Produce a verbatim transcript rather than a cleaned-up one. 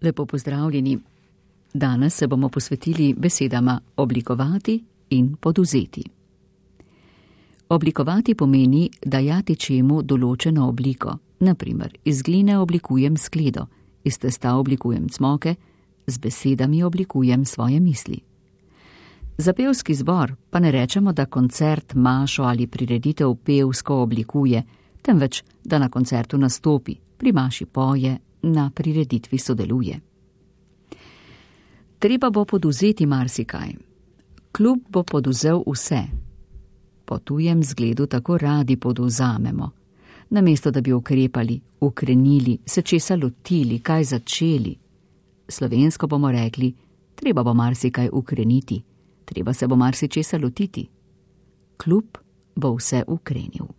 Lepo pozdravljeni. Danes se bomo posvetili besedama oblikovati in podvzeti. Oblikovati pomeni dajati čemu določeno obliko. Na primer, iz gline oblikujem skledo, iz testa oblikujem cmoke, z besedami oblikujem svoje misli. Za pevski zbor pa ne rečemo, da koncert, mašo ali prireditev pevsko oblikuje, temveč, da na koncertu nastopi, pri maši poje, na prireditvi sodeluje. Treba bo podvzeti marsikaj. Klub bo podvzel vse. Po tujem zgledu tako radi podvzamemo. Namesto da bi ukrepali, ukrenili, se česa lotili, kaj začeli. Slovensko bomo rekli, treba bo marsikaj ukreniti, treba se bo marsičesa lotiti. Klub bo vse ukrenil.